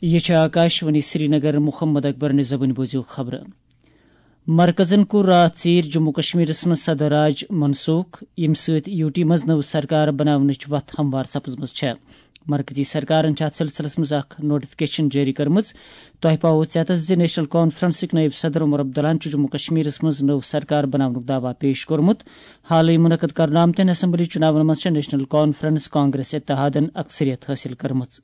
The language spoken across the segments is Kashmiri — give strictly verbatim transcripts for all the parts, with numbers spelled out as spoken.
یہِ چھِ آکاشوانی سرینگر۔ محمد اکبر نِزبٕنۍ بوٗزِو خبرٕ۔ مرکزن کوٚر راتھ ژیٖرۍ جموں کشمیرس منٛز صدر راج منسوخ، ییٚمہِ سۭتۍ یو ٹی منٛز نٔو سرکار بناونٕچ وتھ ہموار سپٕزمٕژ چھےٚ۔ مرکزی سرکارن چھِ اتھ سلسلس منٛز اکھ نوٹیفکیشن جٲری کٔرمٕژ۔ تۄہہِ پاوو ژیتس زِ نیشنل کانفرنسٕکۍ نٲیِب صدر عمر عبداللہن چھُ جموں کشمیرس منٛز نٔو سرکار بناونُک دعویٰ پیش کوٚرمُت۔ حالٕے منعقد کرنہٕ آمتٮ۪ن اسمبلی چُناون منٛز چھےٚ نیشنل کانفرنس کانگریس اتحادن اکثریت حٲصِل کٔرمٕژ۔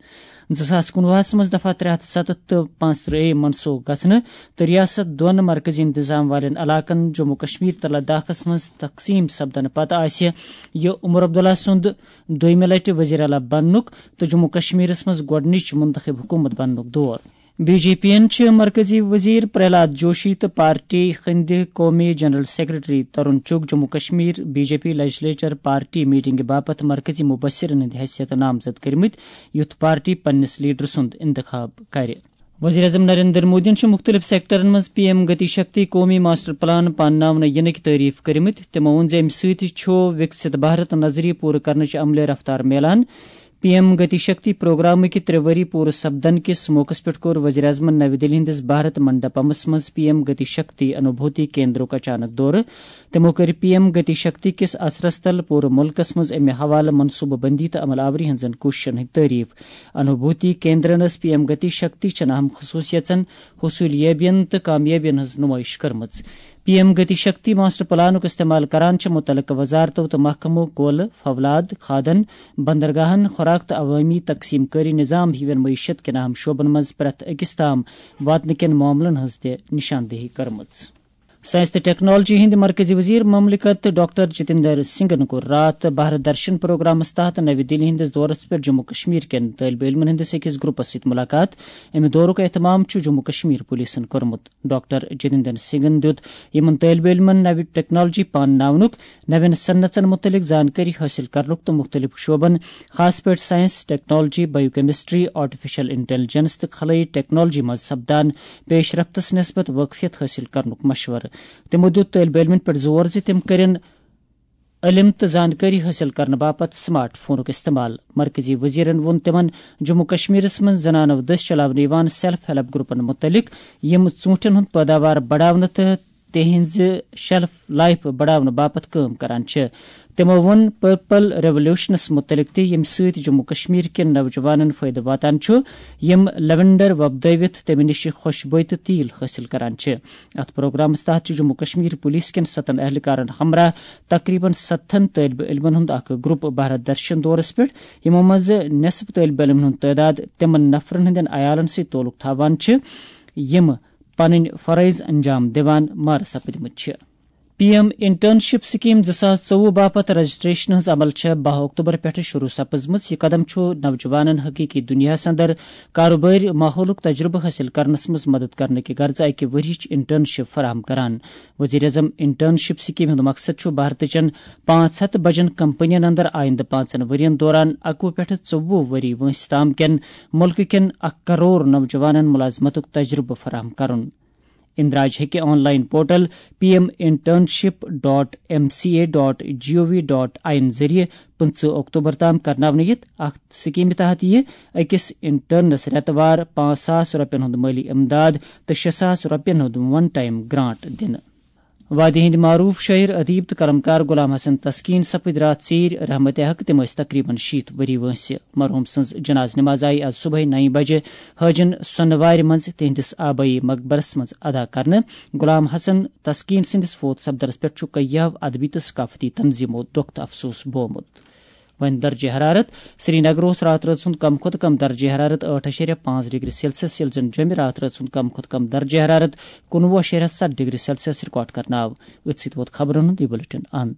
زٕ ساس کُنوُہس منٛز دفعہ ترٛےٚ ہتھ ستتھ تہٕ پانٛژترٕہ اے منسوخ گژھنہٕ تہٕ ریاست دۄن مرکزی انتظام والٮ۪ن علاقن جموں کشمیر تہٕ لداخس منٛز تقسیٖم سپدنہٕ پتہٕ آسہِ یہِ عمر عبداللہ سُنٛد دوٚیمہِ لٹہِ وزیر اعلیٰ بننُک تہٕ جموں کشمیرس منٛز گۄڈٕنِچ منتخب حکومت بننُک دور۔ بی جے پی یَن چھِ مرکزی وزیر پرہلاد جوشی تہٕ پارٹی ہٕنٛدِ قومی general secretary Tarun Chugh Jammu Kashmir B J P legislature party میٹنگہِ باپتھ مرکزی مبصرن ہٕنٛدِ حیثیت نامزد کٔرمٕتۍ، یُتھ پارٹی پننِس لیڈر سُنٛد انتخاب کرِ۔ وزیر اعظم نریندر مودیَن چھِ مُختٔلِف سیکٹرن منٛز پی ایم گتی شکتی قومی ماسٹر پلان پانناونہٕ یِنٕکۍ تعریف کٔرمٕتۍ۔ تِمَو ووٚن زِ اَمہِ سۭتۍ چھُ وِکسِت بھارت نظریہ پوٗرٕ کرنٕچ عملہِ رفتار میلان۔ پی ایم گتی شکتی پروگرامٕکۍ ترٛےٚ ؤری پوٗرٕ سپدن کِس موقعس پٮ۪ٹھ کوٚر وزیر اعظمن نَوِ دِلہِ ہٕنٛدِس بھارت منڈپمس منٛز پی ایم گتی شکتی انوبھوتی کیندرُک اچانک دورٕ۔ تِمَو کٔرۍ پی ایم گتی شکتی کِس اثرس تل پوٗرٕ مُلکس منٛز اَمہِ حوالہٕ منصوٗبہٕ بندی تہٕ عمل آوری ہٕنٛزن کوٗششن ہٕنٛدۍ تعریف۔ انوبھوتی کیندرن ٲس پی ایم گتی شکتی چٮ۪ن اہم خصوٗصیژن، حصوٗلیابین تہٕ کامیٲبین ہٕنٛز نُمٲیِش کٔرمٕژ۔ P M Gati Shakti master پلانُک استعمال کران چھِ مُتعلقہٕ وزارتو تہٕ محکمو کولہٕ، فولاد، کھادن، بندرگاہن، خوراک تہٕ عوٲمی تقسیٖم کٲری نظام ہِوٮ۪ن معیشت کٮ۪ن اہم شعبن منٛز پرٛٮ۪تھ أکِس تام واتنہٕ کٮ۪ن معاملن ہٕنٛز تہِ نشاندہی کٔرمٕژ۔ ساینس تہٕ ٹیکنالوجی ہٕنٛدۍ مرکزی وزیر مملکت ڈاکٹر جتیندر سنگھن کوٚر راتھ بھارت درشن پروگرامس تحت نَوِ دِلہِ ہٕنٛدِس دورس پٮ۪ٹھ جموں کشمیر کٮ۪ن طٲلبہِ علمن ہٕنٛدِس أکِس گروپس سۭتۍ مُلاقات۔ اَمہِ دورُک اہتمام چھُ جموں کشمیر پولیسن کوٚرمُت۔ ڈاکٹر جتیندر سنگھن دیُت یِمن طٲلبہِ علمن نَوِ ٹیکنالوجی پانناونُک، نَوٮ۪ن صنعژن مُتعلق زانکٲری حٲصِل کرنُک تہٕ مُختٔلِف شعبن، خاص پٲٹھۍ ساینس، ٹیکنالوجی، بایو کیمسٹری، آرٹیفیشل انٹیلیجنس تہٕ خلٲیی ٹیکنالوجی منٛز سپدان پیش رفتس نسبت وٲقفیت حٲصِل کرنُک مشورٕ۔ تِمو دیُت طٲلبہِ علمن پٮ۪ٹھ زور زِ تِم کٔرِن علم تہٕ زانکٲری حٲصِل کرنہٕ باپتھ سمارٹ فونُک استعمال۔ مرکزی وزیرن ووٚن تِمن جموں کشمیرس منٛز زنانو دٔسۍ چلاونہٕ یِوان سیلف ہیلپ گروپن مُتعلق، یِم ژوٗنٹھٮ۪ن ہُنٛد پٲداوار بڑاونہٕ تہٕ تِہنٛزِ شیلف لائف بڑاونہٕ باپتھ کٲم کران چھِ۔ تِمو ووٚن پرپل ریولوشنس مُتعلق تہِ، ییٚمہِ سۭتۍ جموں کشمیر کٮ۪ن نوجوانن فٲیدٕ واتان چھُ، یِم لیونڈر وۄپدٲوِتھ تَمہِ نِش خوشبوئے تہٕ تیل حٲصِل کران چھِ۔ اَتھ پروگرامَس تحت چھُ جموں کشمیر پولیس کٮ۪ن ستن اہلکارَن ہمراہ تقریباً ستتھن طٲلبہِ علمَن ہُنٛد اکھ گروپ بھارت درشن دورَس پٮ۪ٹھ، یِمو منٛز نصف طٲلبہِ علمَن ہُنٛد تعداد تِمَن نفرَن ہٕنٛدٮ۪ن عیالَن سۭتۍ تعلق تھاوان چھِ، یِم پنٕنۍ فرٲیض انجام دِوان مارٕ سپٕدمٕتۍ چھِ۔ پی ایم انٹرنشپ سکیم زٕ ساس ژوٚوُہ باپتھ رجسٹریشن ہٕنٛز عمل چھےٚ باہ اکتوبر پٮ۪ٹھٕ شروع سپٕزمٕژ۔ یہِ قدم چھُ نوجوانَن حقیقی دُنیاہَس اندر کاروبٲرۍ ماحولُک تجربہٕ حٲصِل کرنَس منٛز مدد کرنہٕ کہِ غرضہٕ اکہِ ؤریِچ انٹرنشپ فراہم کران۔ وزیر اعظم انٹرنشپ سکیم ہُنٛد مقصد چھُ بھارتٕچن پانٛژھ ہتھ بجن کمپنین اندر آیندٕ پانٛژن ؤرین دوران اکوُہ پٮ۪ٹھٕ ژوٚوُہ ؤری وٲنٛسہِ تام کٮ۪ن مُلکہٕ کٮ۪ن اکھ کرور نوجوانن ملازمتُک تجربہٕ فراہم کرُن۔ اندراج ہیٚکہِ online portal P M internship dot M C A dot G O V dot I N ذٔریعہٕ پٕنٛژٕہ اکتوبر تام کرناونہٕ یِتھ۔ اَتھ سکیمہِ تحت یِیہِ أکِس انٹرنس رٮ۪تہٕ وار پانٛژھ ساس رۄپین ہُنٛد مٲلی امداد تہٕ شےٚ ساس رۄپین ہُنٛد ون ٹائم گرانٹ دِنہٕ۔ وادی ہٕنٛدۍ معروف شٲعر، ادیب تہٕ قلمکار غلام حسن تسکین سپٕدۍ راتھ ژیٖرۍ رحمت حق۔ تِم ٲسۍ تقریباً شیٖتھ ؤری وٲنٛسہِ۔ مرحوم سٕنٛز جناز نماز آیہِ آز صبحٲے نَیہِ بجہِ حٲجن سۄنہٕ وارِ منٛز تِہنٛدِس آبٲیی مقبرس منٛز ادا کرنہٕ۔ غلام حسن تسکین سٕنٛدِس فوت سپدنس پٮ۪ٹھ چھُ کیٛاہو ادبی تہٕ ثقافتی تنظیمو دۄکھ تہٕ افسوس بومُت۔ وۄنۍ درجہ حرارت۔ سرینگر اوس راتھ رٲژ ہُنٛد کم کھۄتہٕ کم درجہ حرارت ٲٹھ اَشاریہ پانٛژھ ڈگری سیلسیس، ییٚلہِ زن جوٚمہِ راتھ رٲژ ہُنٛد کم کھۄتہٕ کم درجہ حرارت کُنوُہ اَشاریہ ستھ ڈگری سیلسیس ریکارڈ کرنہٕ آو۔ أتھۍ سۭتۍ ووت خبرن ہُنٛد یہِ بلیٹن اند۔